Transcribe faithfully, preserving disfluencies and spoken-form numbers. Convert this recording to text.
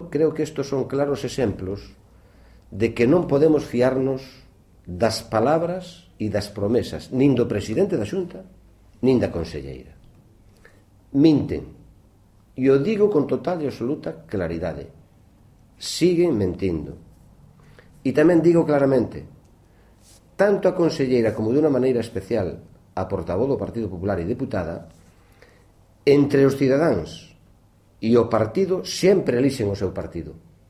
Creo que estos son claros exemplos de que non podemos fiarnos das palabras e das promesas nin do presidente da Xunta nin da conselleira. Minten, e o digo con total e absoluta claridade. Siguen mentindo. E tamén digo claramente, tanto a conselleira como de unha maneira especial a portavoz do Partido Popular e deputada, entre os cidadáns e o partido sempre elixen o seu partido.